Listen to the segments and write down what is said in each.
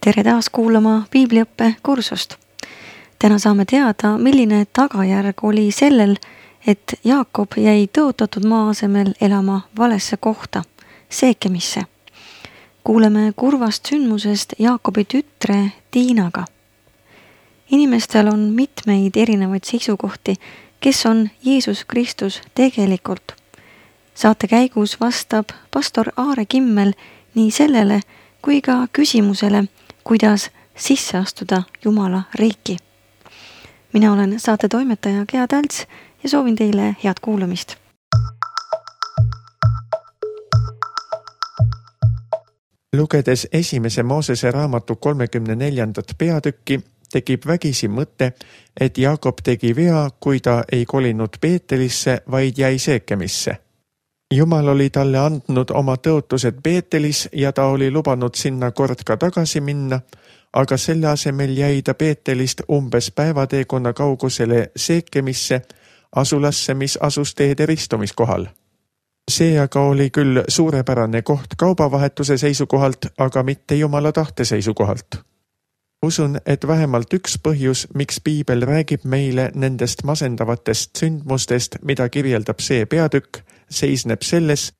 Tere taas kuulama piibliõppe kursust. Täna saame teada, milline tagajärg oli sellel, et Jaakob jäi tõotatud maa asemel elama valesse kohta, Seekemisse. Kuuleme kurvast sündmusest Jaakobi tütre Diinaga. Inimestel on mitmeid erinevaid seisukohti, kes on Jeesus Kristus tegelikult. Saate käigus vastab pastor Aare Kimmel nii sellele kui ka küsimusele, kuidas sisse astuda Jumala riiki. Mina olen saate toimetaja Gea Talts ja soovin teile head kuulamist. Lugedes esimese Moosese raamatu 34. peatükki, tekib vägisi mõte, et Jaakob tegi vea, kui ta ei kolinud Beetelisse, vaid jäi Seekemisse. Jumal oli talle andnud oma tõotused Beetelis ja ta oli lubanud sinna kord ka tagasi minna, aga selle asemel jäi ta Beetelist umbes päevateekonna kaugusele Seekemisse, asulasse, mis asus teede ristumiskohal. See aga oli küll suurepärane koht kaubavahetuse seisukohalt, aga mitte Jumala tahte seisukohalt. Usun, et vähemalt üks põhjus, miks piibel räägib meile nendest masendavatest sündmustest, mida kirjeldab see peatükk, seisneb selles,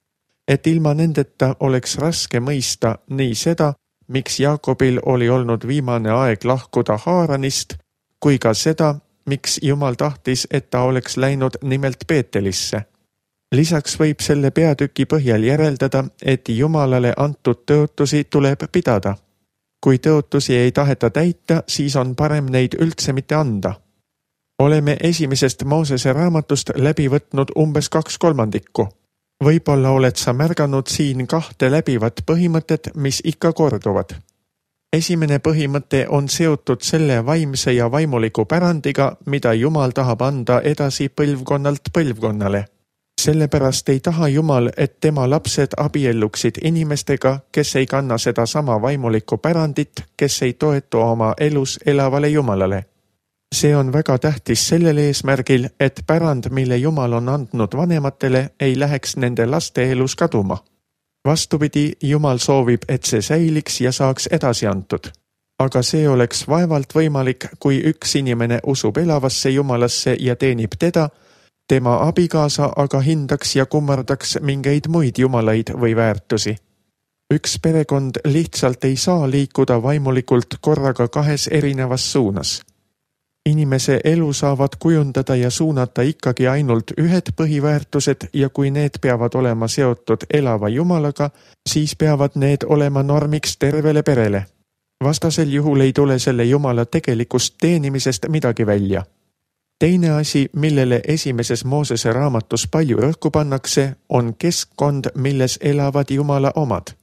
et ilma nendeta oleks raske mõista nii seda, miks Jaakobil oli olnud viimane aeg lahkuda Haaranist, kui ka seda, miks Jumal tahtis, et ta oleks läinud nimelt Beetelisse. Lisaks võib selle peatüki põhjal järeldada, et Jumalale antud tõotusi tuleb pidada. Kui tõotusi ei taheta täita, siis on parem neid üldse mitte anda. Oleme esimesest Moosese raamatust läbi võtnud umbes 2/3. Võib-olla oled sa märganud siin 2 läbivat põhimõtet, mis ikka korduvad. Esimene põhimõte on seotud selle vaimse ja vaimuliku pärandiga, mida Jumal tahab anda edasi põlvkonnalt põlvkonnale. Sellepärast ei taha Jumal, et tema lapsed abielluksid inimestega, kes ei kanna seda sama vaimulikku pärandit, kes ei toetu oma elus elavale Jumalale. See on väga tähtis sellel eesmärgil, et pärand, mille Jumal on andnud vanematele, ei läheks nende laste elus kaduma. Vastupidi, Jumal soovib, et see säiliks ja saaks edasi antud. Aga see oleks vaevalt võimalik, kui üks inimene usub elavasse Jumalasse ja teenib teda, tema abikaasa aga hindaks ja kummardaks mingeid muid jumalaid või väärtusi. Üks perekond lihtsalt ei saa liikuda vaimulikult korraga 2 erinevas suunas. Inimese elu saavad kujundada ja suunata ikkagi ainult ühed põhiväärtused ja kui need peavad olema seotud elava Jumalaga, siis peavad need olema normiks tervele perele. Vastasel juhul ei tule selle Jumala tegelikust teenimisest midagi välja. Teine asi, millele esimeses Moosese raamatus palju rõhku pannakse, on keskkond, milles elavad Jumala omad.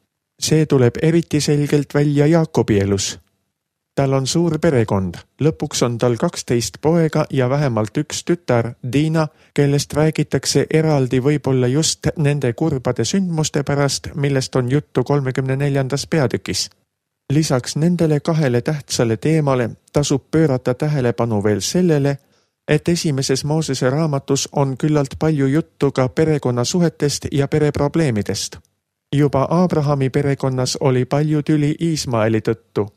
See tuleb eriti selgelt välja Jaakobi elus. Tal on suur perekond, lõpuks on tal 12 poega ja vähemalt üks tütar, Diina, kellest räägitakse eraldi võib-olla just nende kurbade sündmuste pärast, millest on juttu 34. peatükis. Lisaks nendele 2 tähtsale teemale tasub pöörata tähelepanu veel sellele, et esimeses Moosese raamatus on küllalt palju juttu ka perekonnasuhetest ja pereprobleemidest. Juba Abrahami perekonnas oli palju tüli Iismaeli tõttu.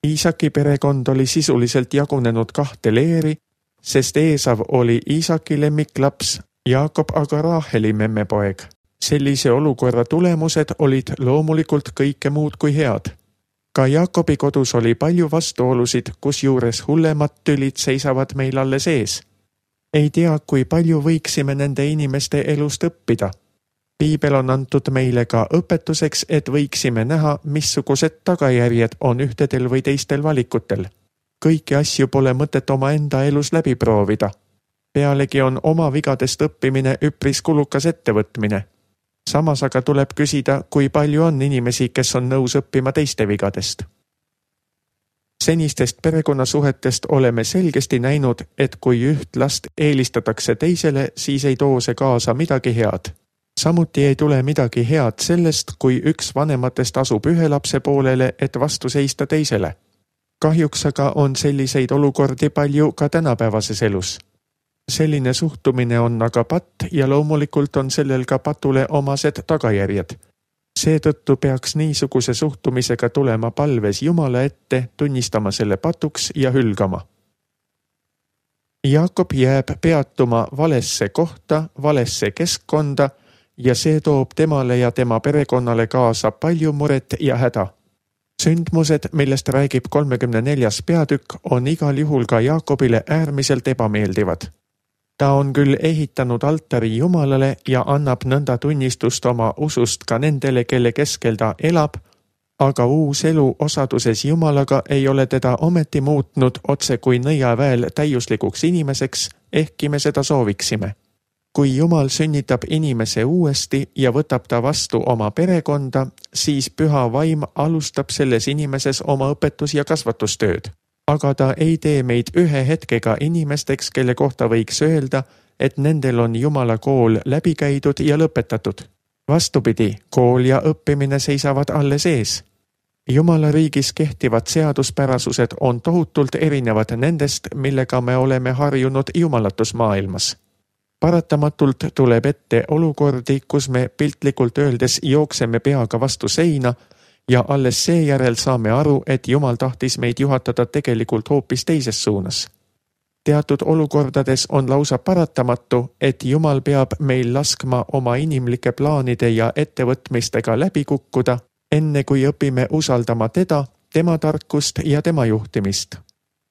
Iisaki perekond oli sisuliselt jagunenud 2 leeri, sest Eesav oli Iisaki lemmiklaps, Jaakob aga Raaheli memmepoeg. Sellise olukorra tulemused olid loomulikult kõike muud kui head. Ka Jaakobi kodus oli palju vastuolusid, kusjuures hullemad tülid seisavad meil alles ees. Ei tea, kui palju võiksime nende inimeste elust õppida. Piibel on antud meile ka õpetuseks, et võiksime näha, missugused tagajärjed on ühtedel või teistel valikutel. Kõiki asju pole mõtet oma enda elus läbi proovida. Pealegi on oma vigadest õppimine üpris kulukas ettevõtmine. Samas aga tuleb küsida, kui palju on inimesi, kes on nõus õppima teiste vigadest. Senistest perekonnasuhetest oleme selgesti näinud, et kui üht last eelistatakse teisele, siis ei too see kaasa midagi head. Samuti ei tule midagi head sellest, kui üks vanematest asub ühe lapse poolele, et vastu seista teisele. Kahjuks aga on selliseid olukordi palju ka tänapäevases elus. Selline suhtumine on aga patt ja loomulikult on sellel ka patule omased tagajärjed. Seetõttu peaks niisuguse suhtumisega tulema palves Jumala ette, tunnistama selle patuks ja hülgama. Jaakob jääb peatuma valesse kohta, valesse keskkonda ja see toob temale ja tema perekonnale kaasa palju muret ja häda. Sündmused, millest räägib 34. peatükk, on igal juhul ka Jaakobile äärmiselt ebameeldivad. Ta on küll ehitanud altari Jumalale ja annab nõnda tunnistust oma usust ka nendele, kelle keskel ta elab, aga uus elu osaduses Jumalaga ei ole teda ometi muutnud otse kui nõiaväel täiuslikuks inimeseks, ehkki me seda sooviksime. Kui Jumal sünnitab inimese uuesti ja võtab ta vastu oma perekonda, siis püha vaim alustab selles inimeses oma õpetus- ja kasvatustööd. Aga ta ei tee meid ühe hetkega inimesteks, kelle kohta võiks öelda, et nendel on Jumala kool läbi käidud ja lõpetatud. Vastupidi, kool ja õppimine seisavad alles ees. Jumala riigis kehtivad seaduspärasused on tohutult erinevad nendest, millega me oleme harjunud jumalatusmaailmas. Paratamatult tuleb ette olukordi, kus me piltlikult öeldes jookseme peaga vastu seina ja alles seejärel saame aru, et Jumal tahtis meid juhatada tegelikult hoopis teises suunas. Teatud olukordades on lausa paratamatu, et Jumal peab meil laskma oma inimlike plaanide ja ettevõtmistega läbi kukkuda, enne kui õpime usaldama teda, tema tarkust ja tema juhtimist.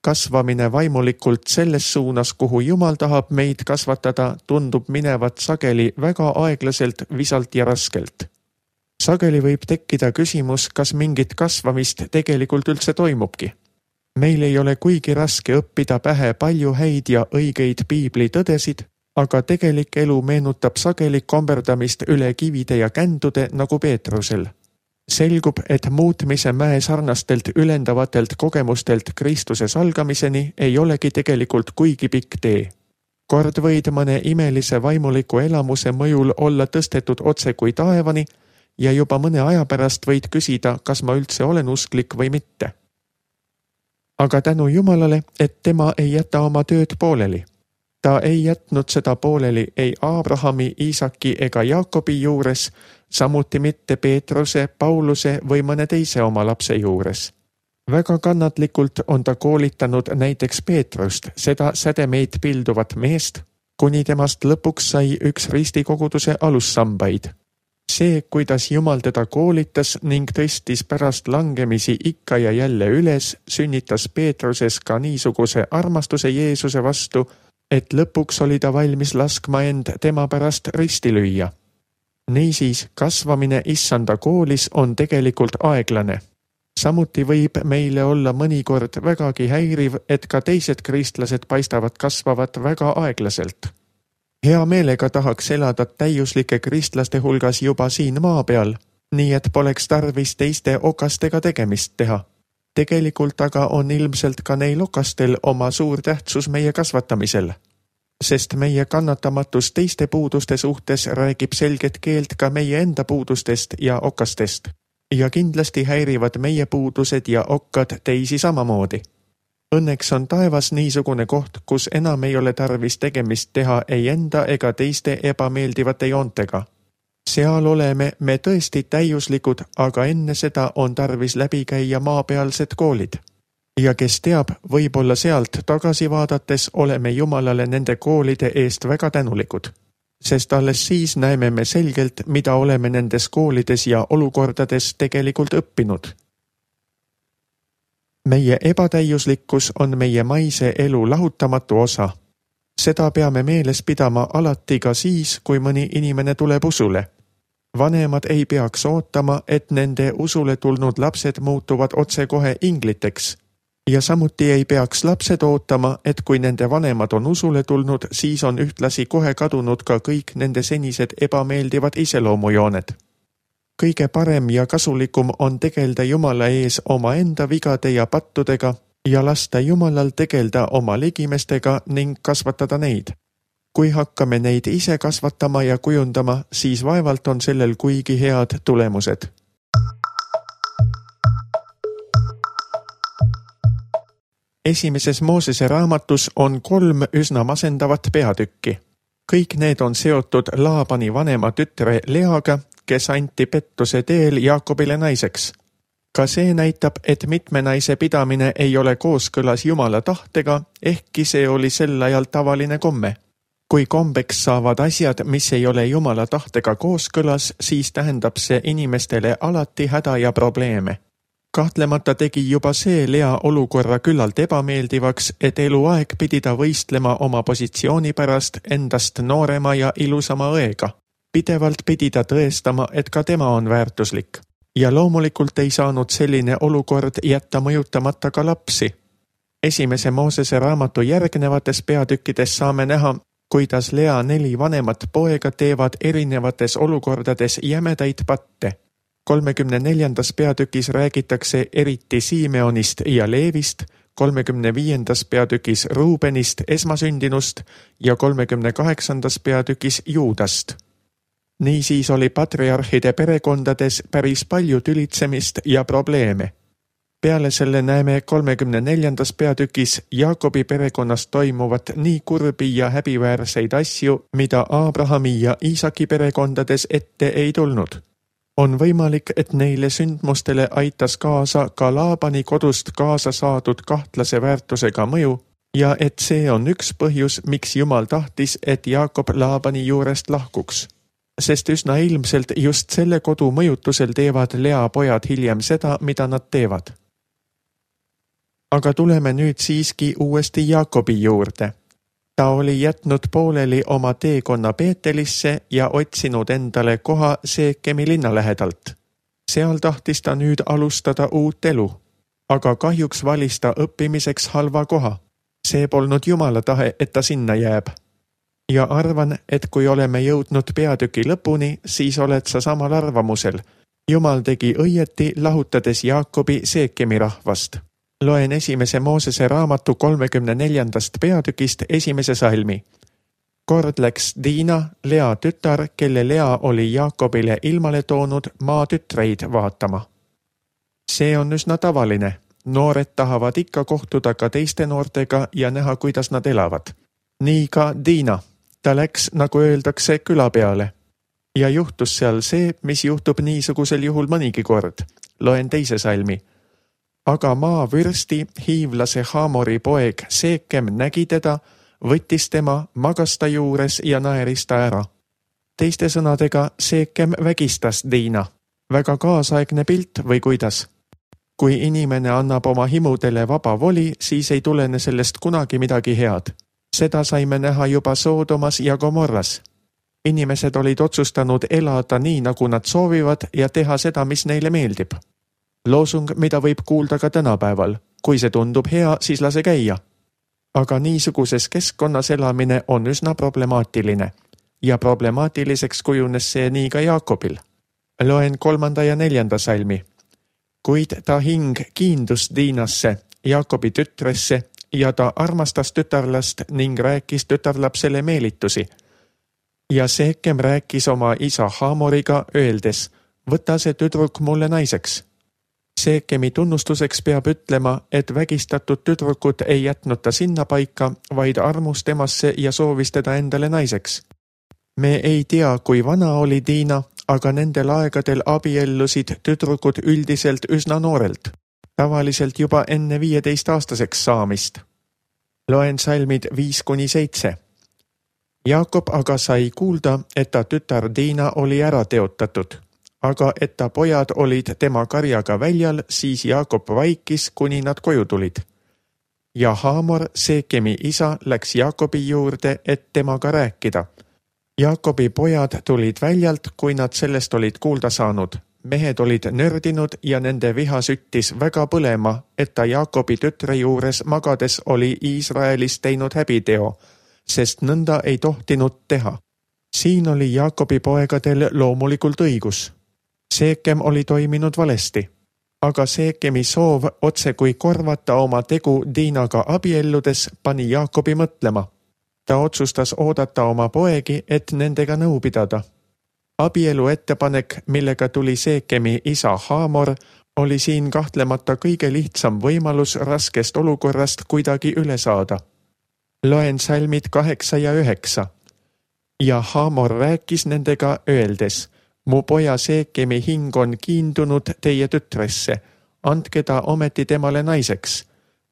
Kasvamine vaimulikult selles suunas, kuhu Jumal tahab meid kasvatada, tundub minevat sageli väga aeglaselt, visalt ja raskelt. Sageli võib tekkida küsimus, kas mingit kasvamist tegelikult üldse toimubki. Meil ei ole kuigi raske õppida pähe palju häid ja õigeid piibli tõdesid, aga tegelik elu meenutab sageli komberdamist üle kivide ja kändude nagu Peetrusel. Selgub, et muutmise mäe sarnastelt ülendavatelt kogemustelt Kristuse salgamiseni ei olegi tegelikult kuigi pikk tee. Kord võid mõne imelise vaimuliku elamuse mõjul olla tõstetud otse kui taevani ja juba mõne aja pärast võid küsida, kas ma üldse olen usklik või mitte. Aga tänu Jumalale, et tema ei jäta oma tööd pooleli. Ta ei jätnud seda pooleli ei Abrahami, Iisaki ega Jaakobi juures, samuti mitte Peetruse, Pauluse või mõne teise oma lapse juures. Väga kannatlikult on ta koolitanud näiteks Peetrust, seda sädemeid pilduvat meest, kuni temast lõpuks sai üks ristikoguduse alussambaid. See, kuidas Jumal teda koolitas ning tõstis pärast langemisi ikka ja jälle üles, sünnitas Peetruses ka niisuguse armastuse Jeesuse vastu, et lõpuks oli ta valmis laskma end tema pärast risti lüüa. Niisiis, kasvamine issanda koolis on tegelikult aeglane. Samuti võib meile olla mõnikord vägagi häiriv, et ka teised kristlased paistavad kasvavat väga aeglaselt. Hea meelega tahaks elada täiuslike kristlaste hulgas juba siin maa peal, nii et poleks tarvis teiste okastega tegemist teha. Tegelikult aga on ilmselt ka neil okastel oma suur tähtsus meie kasvatamisel, sest meie kannatamatus teiste puuduste suhtes räägib selget keelt ka meie enda puudustest ja okastest. Ja kindlasti häirivad meie puudused ja okkad teisi samamoodi. Õnneks on taevas niisugune koht, kus enam ei ole tarvis tegemist teha ei enda ega teiste ebameeldivate joontega. Seal oleme me tõesti täiuslikud, aga enne seda on tarvis läbi käia maapealsed koolid. Ja kes teab, võib-olla sealt tagasi vaadates oleme Jumalale nende koolide eest väga tänulikud. Sest alles siis näeme me selgelt, mida oleme nendes koolides ja olukordades tegelikult õppinud. Meie ebatäiuslikkus on meie maise elu lahutamatu osa. Seda peame meeles pidama alati ka siis, kui mõni inimene tuleb usule. Vanemad ei peaks ootama, et nende usule tulnud lapsed muutuvad otsekohe ingliteks. Ja samuti ei peaks lapsed ootama, et kui nende vanemad on usule tulnud, siis on ühtlasi kohe kadunud ka kõik nende senised ebameeldivad iseloomujooned. Kõige parem ja kasulikum on tegelda Jumala ees oma enda vigade ja pattudega ja lasta Jumalal tegelda oma ligimestega ning kasvatada neid. Kui hakkame neid ise kasvatama ja kujundama, siis vaevalt on sellel kuigi head tulemused. Esimeses Moosese raamatus on 3 üsna masendavat peatükki. Kõik need on seotud Laabani vanema tütre Leaga, kes anti pettuse teel Jaakobile naiseks. Ka see näitab, et mitme naise pidamine ei ole kooskõlas Jumala tahtega, ehkki see oli sel ajal tavaline komme. Kui kombeks saavad asjad, mis ei ole Jumala tahtega kooskõlas, siis tähendab see inimestele alati häda ja probleeme. Kahtlemata tegi juba see Lea olukorra küllalt ebameeldivaks, et eluaeg pidi ta võistlema oma positsiooni pärast endast noorema ja ilusama õega. Pidevalt pidi ta tõestama, et ka tema on väärtuslik. Ja loomulikult ei saanud selline olukord jätta mõjutamata ka lapsi. Esimese Moosese raamatu järgnevates peatükkides saame näha, kuidas Lea 4 vanemat poega teevad erinevates olukordades jämedaid patte. 34. peatükis räägitakse eriti Simeonist ja Leevist, 35. peatükis Ruubenist esmasündinust ja 38. peatükis Juudast. Niisiis oli patriarhide perekondades päris palju tülitsemist ja probleeme. Peale selle näeme 34. peatükis Jaakobi perekonnas toimuvat nii kurbi ja häbiväärseid asju, mida Abrahami ja Iisaki perekondades ette ei tulnud. On võimalik, et neile sündmustele aitas kaasa ka Laabani kodust kaasa saadud kahtlase väärtusega mõju ja et see on üks põhjus, miks Jumal tahtis, et Jaakob Laabani juurest lahkuks. Sest üsna ilmselt just selle kodu mõjutusel teevad Lea pojad hiljem seda, mida nad teevad. Aga tuleme nüüd siiski uuesti Jaakobi juurde. Ta oli jätnud pooleli oma teekonna Beetelisse ja otsinud endale koha Seekemi linna lähedalt. Seal tahtis ta nüüd alustada uut elu, aga kahjuks valis ta õppimiseks halva koha. See polnud Jumala tahe, et ta sinna jääb. Ja arvan, et kui oleme jõudnud peatüki lõpuni, siis oled sa samal arvamusel. Jumal tegi õieti, lahutades Jaakobi Seekemi rahvast. Loen esimese Moosese raamatu 34. peatükist esimese salmi. Kord läks Diina, Lea tütar, kelle Lea oli Jaakobile ilmale toonud maa tütreid vaatama. See on üsna tavaline. Noored tahavad ikka kohtuda ka teiste noortega ja näha, kuidas nad elavad. Nii ka Diina. Ta läks, nagu öeldakse, küla peale. Ja juhtus seal see, mis juhtub niisugusel juhul mõnigi kord. Loen teise salmi. Aga maavürsti hiivlase Haamori poeg Seekem nägi teda, võttis tema, magas ta juures ja naeris ta ära. Teiste sõnadega Seekem vägistas Diina. Väga kaasaegne pilt või kuidas? Kui inimene annab oma himudele vaba voli, siis ei tulene sellest kunagi midagi head. Seda saime näha juba Soodomas ja Gomorras. Inimesed olid otsustanud elada nii, nagu nad soovivad ja teha seda, mis neile meeldib. Loosung, mida võib kuulda ka tänapäeval. Kui see tundub hea, siis lase käia. Aga niisuguses keskkonnas elamine on üsna problemaatiline. Ja problemaatiliseks kujunes see nii ka Jaakobil. Loen 3. ja 4. salmi. Kuid ta hing kiindus Diinasse, Jaakobi tütresse, ja ta armastas tütarlast ning rääkis tütarlapsele meelitusi. Ja Seekem rääkis oma isa Haamoriga, öeldes, võta see tüdruk mulle naiseks. Seekemi tunnustuseks peab ütlema, et vägistatud tüdrukut ei jätnud ta sinna paika, vaid armus temasse ja soovis teda endale naiseks. Me ei tea, kui vana oli Diina, aga nendel aegadel abiellusid tüdrukud üldiselt üsna noorelt, tavaliselt juba enne 15-aastaseks saamist. Loen salmid 5-7. Jaakob aga sai kuulda, et ta tütar Diina oli ära teotatud. Aga et ta pojad olid tema karjaga väljal, siis Jaakob vaikis, kuni nad koju tulid. Ja Haamor, Seekemi isa, läks Jaakobi juurde, et temaga rääkida. Jaakobi pojad tulid väljalt, kui nad sellest olid kuulda saanud. Mehed olid nördinud ja nende viha süttis väga põlema, et ta Jaakobi tütre juures magades oli Iisraelis teinud häbiteo, sest nõnda ei tohtinud teha. Siin oli Jaakobi poegadel loomulikult õigus. Seekem oli toiminud valesti, aga Seekemi soov otse kui korvata oma tegu Diinaga abielludes pani Jaakobi mõtlema. Ta otsustas oodata oma poegi, et nendega nõu pidada. Abielu ettepanek, millega tuli Seekemi isa Haamor, oli siin kahtlemata kõige lihtsam võimalus raskest olukorrast kuidagi üle saada. Loen salmid 8 ja 9. Ja Haamor rääkis nendega, öeldes, Mu poja Seekemi hing on kiindunud teie tütresse, andke ta ometi temale naiseks.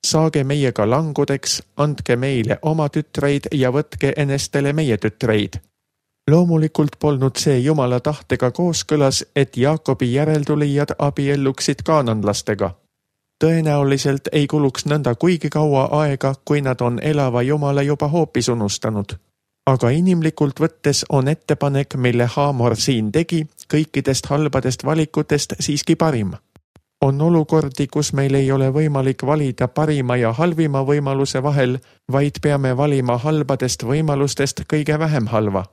Saage meiega langudeks, andke meile oma tütreid ja võtke enestele meie tütreid. Loomulikult polnud see Jumala tahtega kooskõlas, et Jaakobi järeltulijad abielluksid kaananlastega. Tõenäoliselt ei kuluks nõnda kuigi kaua aega, kui nad on elava Jumala juba hoopis unustanud. Aga inimlikult võttes on ettepanek, mille Haamor siin tegi, kõikidest halbadest valikutest siiski parim. On olukordi, kus meil ei ole võimalik valida parima ja halvima võimaluse vahel, vaid peame valima halbadest võimalustest kõige vähem halva.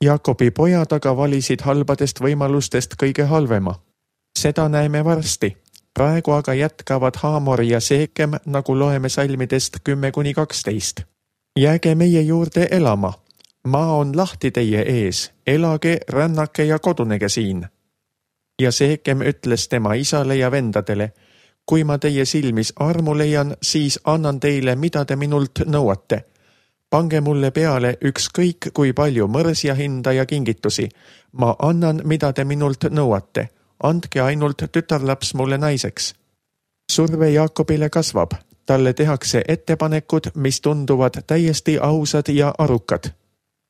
Jaakobi pojad aga valisid halbadest võimalustest kõige halvema. Seda näeme varsti. Praegu aga jätkavad Haamor ja Seekem, nagu loeme salmidest 10-12. Jääge meie juurde elama. Maa on lahti teie ees, elage, rännake ja kodunege siin. Ja Seekem ütles tema isale ja vendadele, kui ma teie silmis armu leian, siis annan teile, mida te minult nõuate. Pange mulle peale ükskõik kui palju mõrsja hinda ja kingitusi. Ma annan, mida te minult nõuate. Andke ainult tütarlaps mulle naiseks. Surve Jaakobile kasvab. Talle tehakse ettepanekud, mis tunduvad täiesti ausad ja arukad.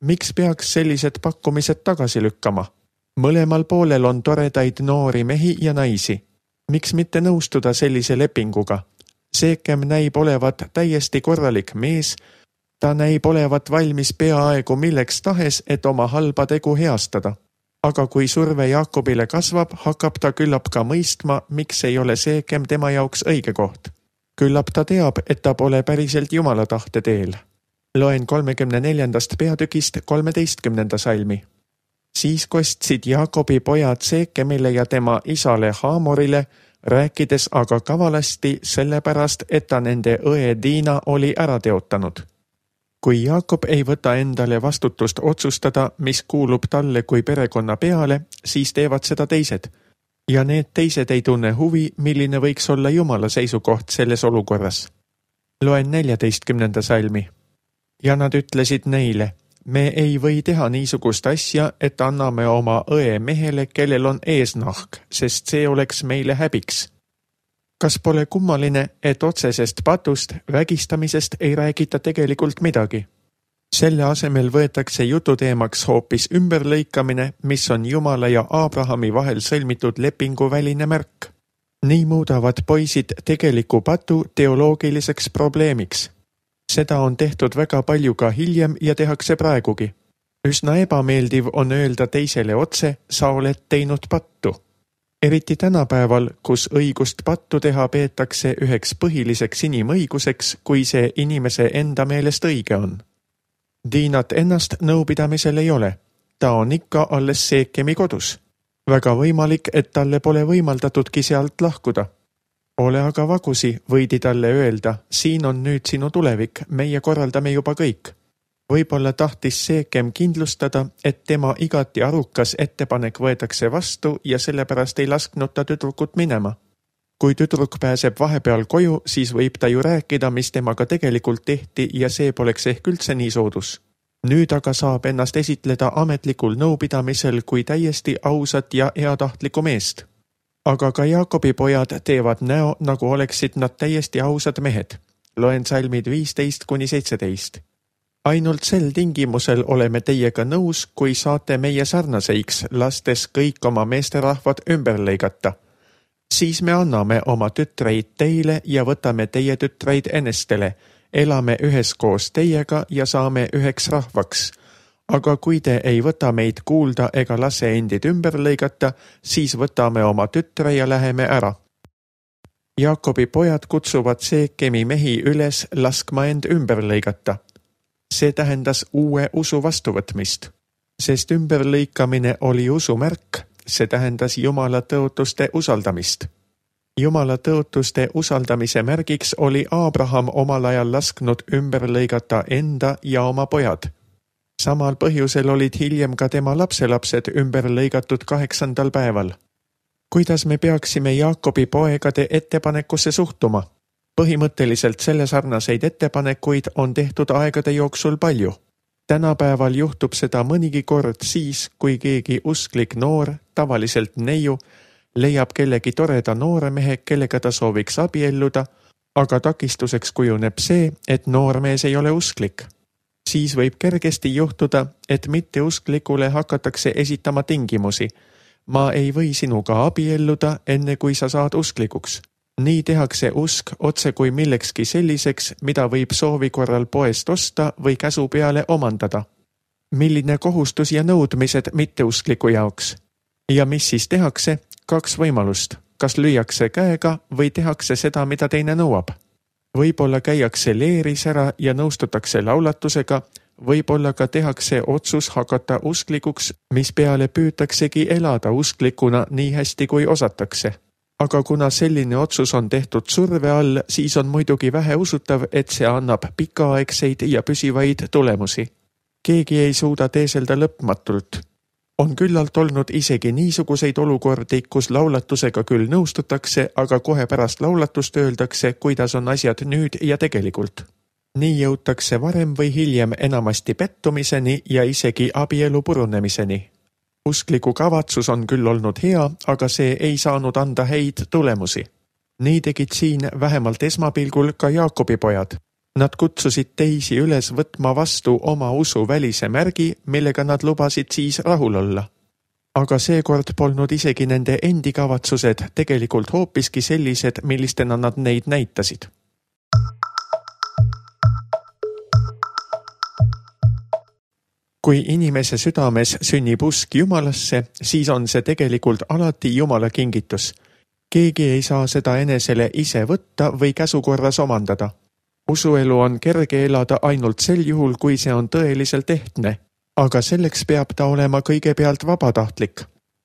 Miks peaks sellised pakkumised tagasi lükkama? Mõlemal poolel on toredaid noori mehi ja naisi. Miks mitte nõustuda sellise lepinguga? Seekem näib olevat täiesti korralik mees. Ta näib olevat valmis peaaegu milleks tahes, et oma halba tegu heastada. Aga kui surve Jaakobile kasvab, hakkab ta küllap ka mõistma, miks ei ole Seekem tema jaoks õige koht. Küllap ta teab, et ta pole päriselt Jumala tahte teel. Loen 34. peatükist 13. salmi. Siis kostsid Jaakobi pojad Seekemile ja tema isale Haamorile, rääkides aga kavalasti sellepärast, et ta nende õe Diina oli ära teotanud. Kui Jaakob ei võta endale vastutust otsustada, mis kuulub talle kui perekonna peale, siis teevad seda teised. Ja need teised ei tunne huvi, milline võiks olla Jumala seisukoht selles olukorras. Loen 14. salmi. Ja nad ütlesid neile, me ei või teha niisugust asja, et anname oma õe mehele, kellel on eesnahk, sest see oleks meile häbiks. Kas pole kummaline, et otsesest patust, vägistamisest ei räägita tegelikult midagi? Selle asemel võetakse jututeemaks hoopis ümberlõikamine, mis on Jumala ja Abrahami vahel sõlmitud lepingu väline märk. Nii muudavad poisid tegeliku patu teoloogiliseks probleemiks. Seda on tehtud väga palju ka hiljem ja tehakse praegugi. Üsna ebameeldiv on öelda teisele otse, sa oled teinud pattu. Eriti tänapäeval, kus õigust pattu teha peetakse üheks põhiliseks inimõiguseks, kui see inimese enda meelest õige on. Diinat ennast nõupidamisel ei ole. Ta on ikka alles Seekemi kodus. Väga võimalik, et talle pole võimaldatudki sealt lahkuda. Ole aga vagusi, võidi talle öelda, siin on nüüd sinu tulevik, meie korraldame juba kõik. Võib-olla tahtis Seekem kindlustada, et tema igati arukas ettepanek võetakse vastu ja sellepärast ei lasknud ta tüdrukut minema. Kui tüdruk pääseb vahepeal koju, siis võib ta ju rääkida, mis temaga tegelikult tehti ja see poleks ehk üldse nii soodus. Nüüd aga saab ennast esitleda ametlikul nõupidamisel kui täiesti ausat ja heatahtlikku meest. Aga ka Jaakobi pojad teevad näo, nagu oleksid nad täiesti ausad mehed. Loen salmid 15-17. Ainult sel tingimusel oleme teiega nõus, kui saate meie sarnaseiks, lastes kõik oma meesterahvad ümber lõigata. Siis me anname oma tütreid teile ja võtame teie tütreid enestele, elame üheskoos teiega ja saame üheks rahvaks. Aga kui te ei võta meid kuulda ega lase endid ümber lõigata, siis võtame oma tütre ja läheme ära. Jaakobi pojad kutsuvad Seekemi mehi üles laskma end ümber lõigata. See tähendas uue usu vastuvõtmist, sest ümberlõikamine oli usu märk, see tähendas Jumala tõotuste usaldamist. Jumala tõotuste usaldamise märgiks oli Abraham omal ajal lasknud ümber lõigata enda ja oma pojad. Samal põhjusel olid hiljem ka tema lapselapsed ümber lõigatud 8. päeval. Kuidas me peaksime Jaakobi poegade ettepanekusse suhtuma? Põhimõtteliselt selle sarnaseid ettepanekuid on tehtud aegade jooksul palju. Tänapäeval juhtub seda mõnigi kord siis, kui keegi usklik noor, tavaliselt neiu, leiab kellegi toreda noore mehe, kellega ta sooviks abielluda, aga takistuseks kujuneb see, et noormees ei ole usklik. Siis võib kergesti juhtuda, et mitteusklikule hakatakse esitama tingimusi. Ma ei või sinuga abielluda, enne kui sa saad usklikuks. Nii tehakse usk otse kui millekski selliseks, mida võib soovi korral poest osta või käsu peale omandada. Milline kohustus ja nõudmised mitteuskliku jaoks? Ja mis siis tehakse? 2 võimalust. Kas lüüakse käega või tehakse seda, mida teine nõuab? Võib-olla käiakse leeris ära ja nõustutakse laulatusega, võib-olla ka tehakse otsus hakata usklikuks, mis peale püütaksegi elada usklikuna nii hästi kui osatakse. Aga kuna selline otsus on tehtud surve all, siis on muidugi vähe usutav, et see annab pikaaegseid ja püsivaid tulemusi. Keegi ei suuda teeselda lõpmatult. On küllalt olnud isegi niisuguseid olukordi, kus laulatusega küll nõustutakse, aga kohe pärast laulatust öeldakse, kuidas on asjad nüüd ja tegelikult. Nii jõutakse varem või hiljem enamasti pettumiseni ja isegi abielu purunemiseni. Uskliku kavatsus on küll olnud hea, aga see ei saanud anda häid tulemusi. Nii tegid siin vähemalt esmapilgul ka Jaakobi pojad. Nad kutsusid teisi üles võtma vastu oma usu välise märgi, millega nad lubasid siis rahul olla. Aga seekord polnud isegi nende endi kavatsused tegelikult hoopiski sellised, millistena nad neid näitasid. Kui inimese südames sünnib usk Jumalasse, siis on see tegelikult alati Jumala kingitus. Keegi ei saa seda enesele ise võtta või käsukorras omandada. Usuelu on kerge elada ainult sel juhul, kui see on tõeliselt ehtne, aga selleks peab ta olema kõigepealt vabatahtlik.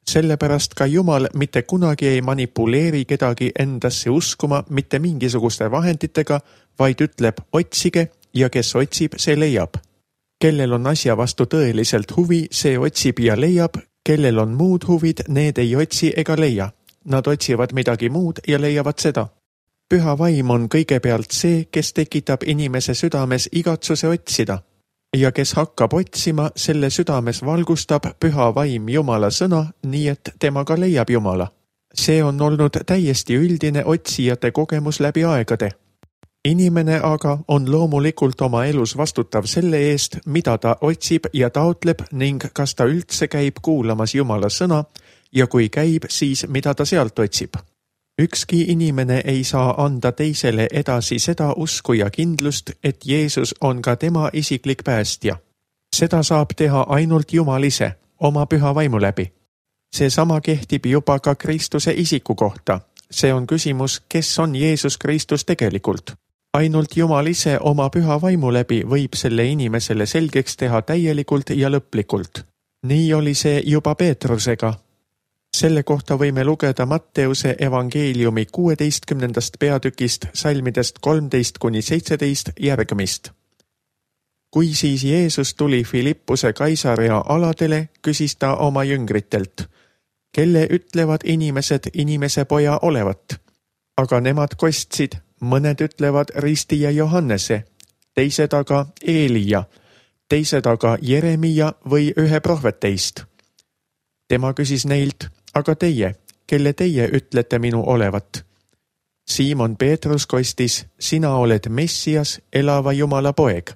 Sellepärast ka Jumal mitte kunagi ei manipuleeri kedagi endasse uskuma mitte mingisuguste vahenditega, vaid ütleb otsige ja kes otsib, see leiab. Kellel on asja vastu tõeliselt huvi, see otsib ja leiab, kellel on muud huvid, need ei otsi ega leia. Nad otsivad midagi muud ja leiavad seda. Püha vaim on kõigepealt see, kes tekitab inimese südames igatsuse otsida. Ja kes hakkab otsima, selle südames valgustab püha vaim Jumala sõna, nii et temaga leiab Jumala. See on olnud täiesti üldine otsijate kogemus läbi aegade. Inimene aga on loomulikult oma elus vastutav selle eest, mida ta otsib ja taotleb ning kas ta üldse käib kuulamas Jumala sõna ja kui käib, siis mida ta sealt otsib. Ükski inimene ei saa anda teisele edasi seda usku ja kindlust, et Jeesus on ka tema isiklik päästja. Seda saab teha ainult Jumal ise, oma püha vaimu läbi. Seesama kehtib juba ka Kristuse isiku kohta. See on küsimus, kes on Jeesus Kristus tegelikult. Ainult Jumal ise oma püha vaimu läbi võib selle inimesele selgeks teha täielikult ja lõplikult. Nii oli see juba Peetrusega. Selle kohta võime lugeda Matteuse evangeeliumi 16. peatükist salmidest 13–17 järgmist. Kui siis Jeesus tuli Filippuse Kaisarea aladele, küsis ta oma jüngritelt, kelle ütlevad inimesed inimese poja olevat. Aga nemad kostsid, mõned ütlevad ristija Johannese, teised aga Eelia, teised aga Jeremia või ühe prohveteist. Tema küsis neilt, aga teie, kelle teie ütlete minu olevat? Siimon Peetrus kostis, sina oled Messias, elava Jumala poeg.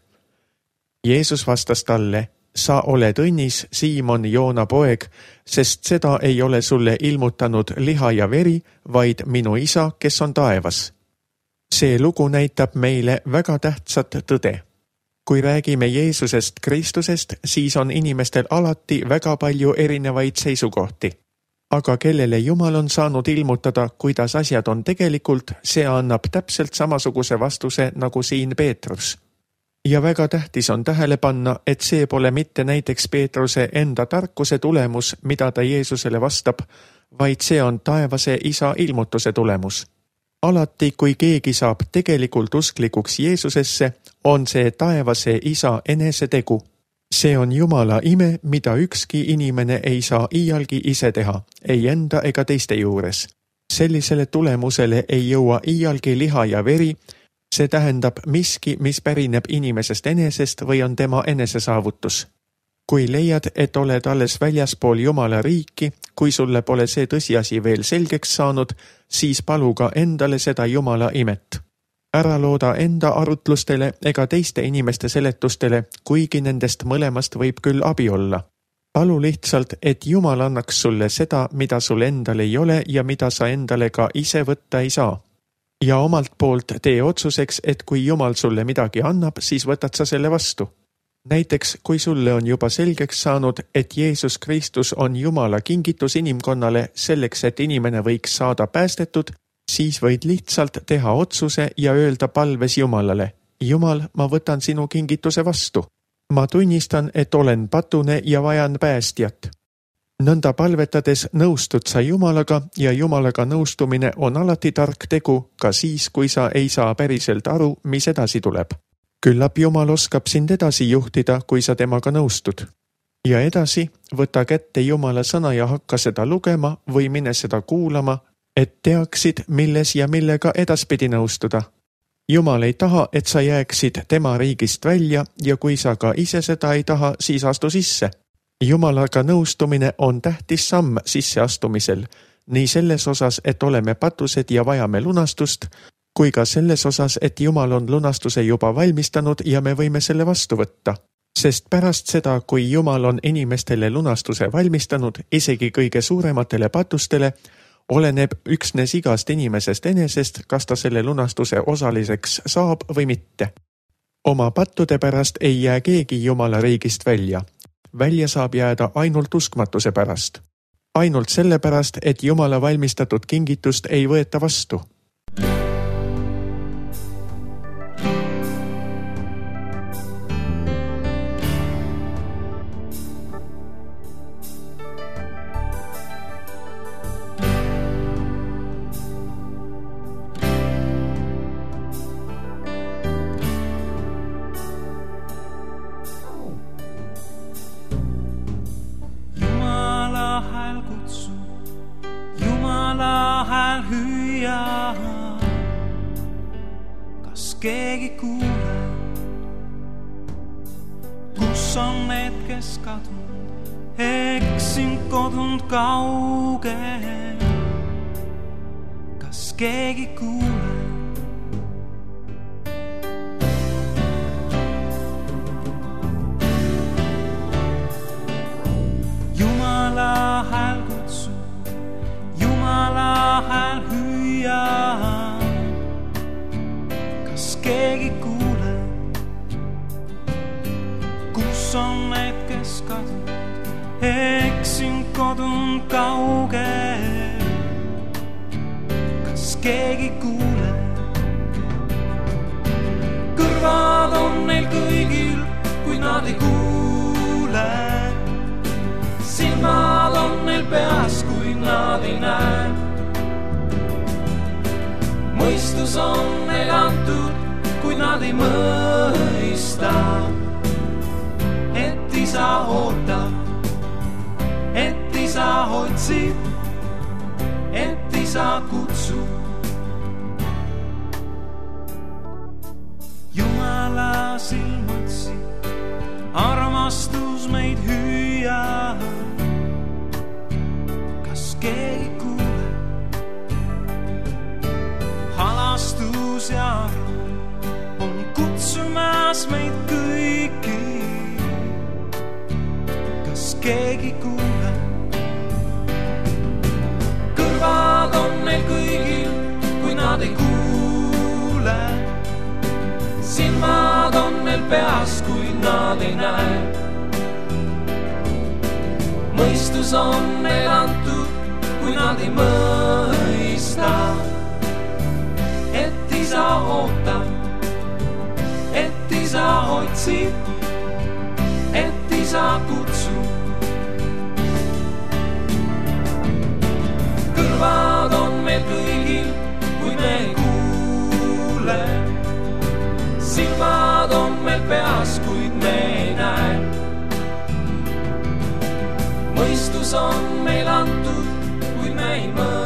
Jeesus vastas talle, sa oled õnnis, Siimon Joona poeg, sest seda ei ole sulle ilmutanud liha ja veri, vaid minu isa, kes on taevas. See lugu näitab meile väga tähtsat tõde. Kui räägime Jeesusest Kristusest, siis on inimestel alati väga palju erinevaid seisukohti. Aga kellele Jumal on saanud ilmutada, kuidas asjad on tegelikult, see annab täpselt samasuguse vastuse nagu siin Peetrus. Ja väga tähtis on tähele panna, et see pole mitte näiteks Peetruse enda tarkuse tulemus, mida ta Jeesusele vastab, vaid see on taevase isa ilmutuse tulemus. Alati, kui keegi saab tegelikult usklikuks Jeesusesse, on see taevase isa enese tegu. See on Jumala ime, mida ükski inimene ei saa iialgi ise teha, ei enda ega teiste juures. Sellisele tulemusele ei jõua iialgi liha ja veri, See tähendab miski, mis pärineb inimesest enesest või on tema enesesaavutus. Kui leiad, et oled alles väljaspool Jumala riiki, kui sulle pole see tõsiasi veel selgeks saanud, siis palu ka endale seda Jumala imet. Ära looda enda arutlustele ega teiste inimeste seletustele, kuigi nendest mõlemast võib küll abi olla. Palu lihtsalt, et Jumal annaks sulle seda, mida sul endal ei ole ja mida sa endale ka ise võtta ei saa. Ja omalt poolt tee otsuseks, et kui Jumal sulle midagi annab, siis võtad sa selle vastu. Näiteks, kui sulle on juba selgeks saanud, et Jeesus Kristus on Jumala kingitus inimkonnale selleks, et inimene võiks saada päästetud, siis võid lihtsalt teha otsuse ja öelda palves Jumalale: Jumal, ma võtan sinu kingituse vastu. Ma tunnistan, et olen patune ja vajan päästjat. Nõnda palvetades nõustud sa Jumalaga ja Jumalaga nõustumine on alati tark tegu, ka siis, kui sa ei saa päriselt aru, mis edasi tuleb. Küllap Jumal oskab sind edasi juhtida, kui sa temaga nõustud. Ja edasi, võta kätte Jumala sõna ja hakka seda lugema või mine seda kuulama, et teaksid, milles ja millega edaspidi nõustuda. Jumal ei taha, et sa jääksid tema riigist välja ja kui sa ka ise seda ei taha, siis astu sisse. Jumalaga nõustumine on tähtis samm sisseastumisel, nii selles osas, et oleme patused ja vajame lunastust, kui ka selles osas, et Jumal on lunastuse juba valmistanud ja me võime selle vastu võtta. Sest pärast seda, kui Jumal on inimestele lunastuse valmistanud, isegi kõige suurematele patustele, oleneb üksnes igast inimesest enesest, kas ta selle lunastuse osaliseks saab või mitte. Oma pattude pärast ei jää keegi Jumala riigist välja. Välja saab jääda ainult uskmatuse pärast. Ainult selle pärast, et Jumala valmistatud kingitust ei võeta vastu. Keegi kuule, kus on need, kes kadunud, eksinud kodunud kaugel. Kas keegi kuule? Jumala hääl kutsub, Jumala hääl hüüab. Keegi kuule, kus on need, kes kadunud, eksinud kodunud kaugel. Kas keegi kuule? Kõrvad on neil kõigil, kui nad ei kuule. Silmad on neil peas, kui nad ei näe. Mõistus on neil antud, kui nad ei mõista, et isa ootab, et isa otsib, et isa kutsub. Jumala silmatsi, armastus meid hüüab. Kas keegi kuule? Halastus ja kutsumas meid kõiki. Kas keegi kuule? Kõrvad on neil kõigil, kui nad ei kuule. Silmad on neil peas, kui nad ei näe. Mõistus on neil antud, kui nad ei mõista, et isa ootab, et isa otsib, et isa kutsub. Kõrvad on meil kõigil, kui me ei kuule. Silmad on meil peas, kuid me ei näe. Mõistus on meil antud, kui me ei mõtle.